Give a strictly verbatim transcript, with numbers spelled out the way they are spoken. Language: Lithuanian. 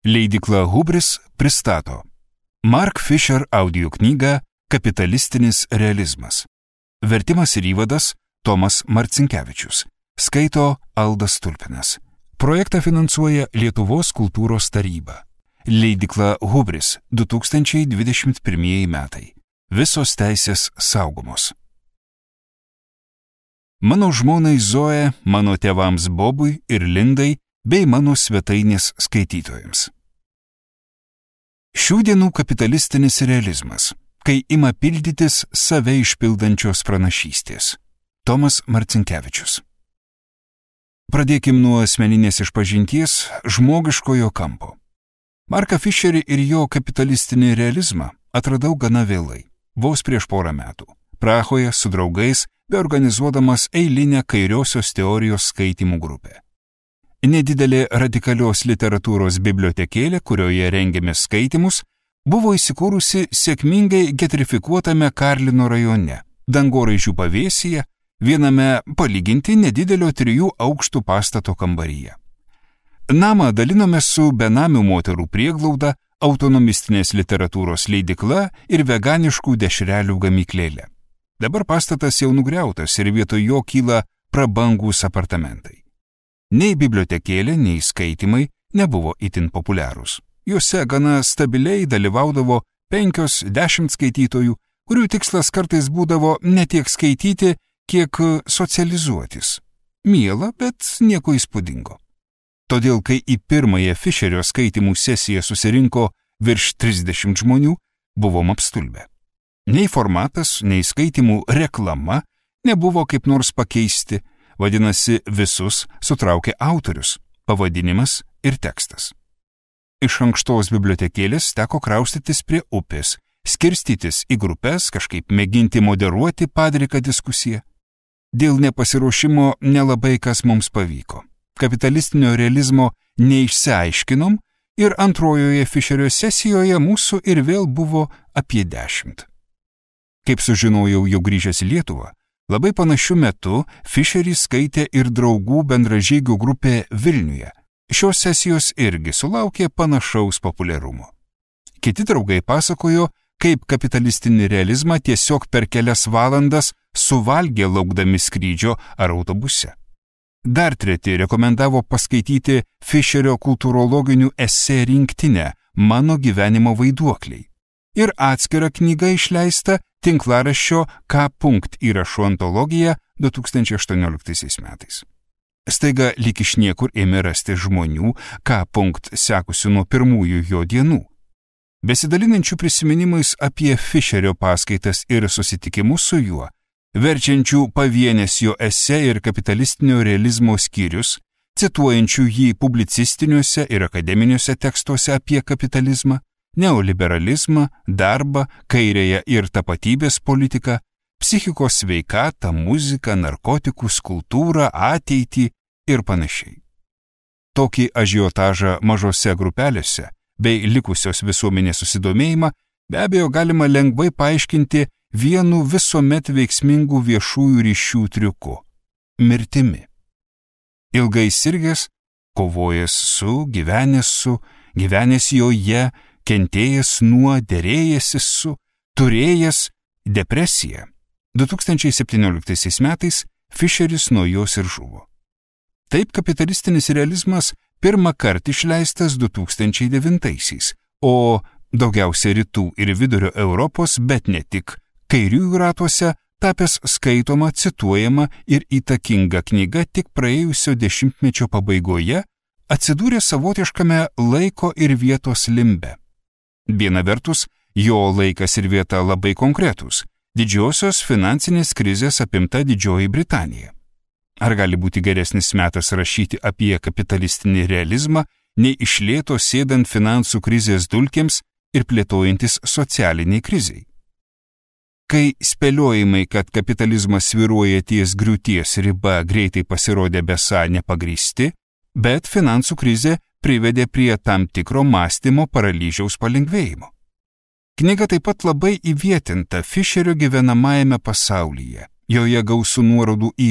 Leidykla Hubris pristato Mark Fisher audio knygą Kapitalistinis realizmas. Vertimas ir įvadas Tomas Marcinkevičius. Skaito Aldas Tulpinas. Projektą finansuoja Lietuvos kultūros taryba. Leidykla Hubris du tūkstančiai dvidešimt pirmieji metai. Visos teisės saugomos. Mano žmonai Zoe, mano tėvams Bobui ir Lindai bei mano svetainės skaitytojams. Šių dienų kapitalistinis realizmas, kai ima pildytis save išpildančios pranašystės. Tomas Marcinkevičius. Pradėkim nuo asmeninės išpažinties žmogiškojo kampo. Marką Fisherį ir jo kapitalistinį realizmą atradau gana vėlai, vos prieš porą metų, Prahoje su draugais, beorganizuodamas eilinę kairiosios teorijos skaitymų grupę. Nedidelė radikalios literatūros bibliotekėlė, kurioje rengėme skaitymus, buvo įsikūrusi sėkmingai getrifikuotame Karlino rajone, dangoraižių pavėsyje, viename palyginti nedidelio trijų aukštų pastato kambaryje. Namą dalinome su benamių moterų prieglauda, autonomistinės literatūros leidykla ir veganiškų dešrelių gamyklėlė. Dabar pastatas jau nugriautas ir vietoj jo kyla prabangūs apartamentai. Nei bibliotekėlė, nei skaitymai nebuvo itin populiarūs. Juose gana stabiliai dalyvaudavo penkios dešimt skaitytojų, kurių tikslas kartais būdavo ne tiek skaityti, kiek socializuotis. Miela, bet nieko įspūdingo. Todėl, kai į pirmąją Fischerio skaitymų sesiją susirinko virš trisdešimt žmonių, buvom apstulbę. Nei formatas, nei skaitymų reklama nebuvo kaip nors pakeisti, vadinasi, visus sutraukė autorius, pavadinimas ir tekstas. Iš ankštos bibliotekėlės teko kraustytis prie upės, skirstytis į grupės, kažkaip mėginti moderuoti padriką diskusiją. Dėl nepasiruošimo nelabai kas mums pavyko. Kapitalistinio realizmo neišsiaiškinom ir antrojoje Fischerio sesijoje mūsų ir vėl buvo apie dešimt. Kaip sužinojau jau grįžęs į Lietuvą, labai panašiu metu Fischerį skaitė ir draugų bendražygių grupė Vilniuje. Šios sesijos irgi sulaukė panašaus populiarumo. Kiti draugai pasakojo, kaip kapitalistinį realizmą tiesiog per kelias valandas suvalgė laukdami skrydžio ar autobuse. Dar treti rekomendavo paskaityti Fischerio kultūrologinių esė rinktinę Mano gyvenimo vaiduokliai ir atskirą knygą išleistą tinklaraščio K. įrašų antologija du tūkstančiai aštuonioliktaisiais metais. Staiga lyg iš niekur ėmė rasti žmonių, K. sekusių nuo pirmųjų jo dienų. Besidalinančių prisiminimais apie Fischerio paskaitas ir susitikimus su juo, verčiančių pavienės jo esė ir kapitalistinio realizmo skyrius, cituojančių jį publicistiniuose ir akademiniuose tekstuose apie kapitalizmą, neoliberalizmą, darbą, kairėją ir tapatybės politiką, psichikos sveikatą, muziką, narkotikus, kultūrą, ateitį ir panašiai. Tokį ažiotažą mažose grupelėse bei likusios visuomenės susidomėjimą be abejo galima lengvai paaiškinti vienu visuomet veiksmingų viešųjų ryšių triuku – mirtimi. Ilgai sirgęs, kovojęs su, gyvenęs su, gyvenęs joje, kentėjęs nuo, derėjęsis su, turėjęs depresiją. du tūkstančiai septynioliktaisiais metais Fischeris nuo jos ir žuvo. Taip kapitalistinis realizmas pirmą kartą išleistas du tūkstančiai devintaisiais, o daugiausia rytų ir vidurio Europos, bet ne tik, kairiųjų ratuose tapęs skaitoma, cituojama ir įtakinga knyga tik praėjusio dešimtmečio pabaigoje atsidūrė savotiškame laiko ir vietos limbe. Viena vertus, jo laikas ir vieta labai konkretūs – didžiosios finansinės krizės apimta Didžioji Britanija. Ar gali būti geresnis metas rašyti apie kapitalistinį realizmą, nei iš lėto sėdant finansų krizės dulkėms ir plėtojantis socialiniai krizei? Kai spėliojimai, kad kapitalizmas svyruoja ties griūties riba, greitai pasirodė besą nepagrįsti, bet finansų krizė privedė prie tam tikro mąstymo paralyžiaus palengvėjimo. Knyga taip pat labai įvietinta Fischerio gyvenamajame pasaulyje. Joje gausu nuorodų į